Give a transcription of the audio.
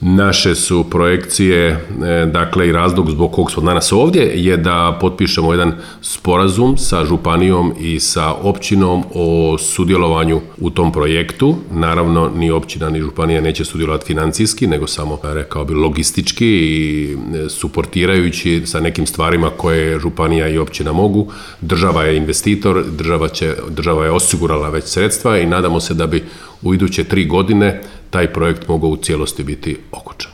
Naše su projekcije, dakle i razlog zbog kog smo danas ovdje, je da potpišemo jedan sporazum sa županijom i sa općinom o sudjelovanju u tom projektu. Naravno, ni općina ni županija neće sudjelovati financijski, nego samo, rekao bi, logistički i suportirajući sa nekim stvarima koje županija i općina mogu. Država je investitor, država je osigurala već sredstva i nadamo se da bi u iduće 3 godine taj projekt mogao u cijelosti biti okončan.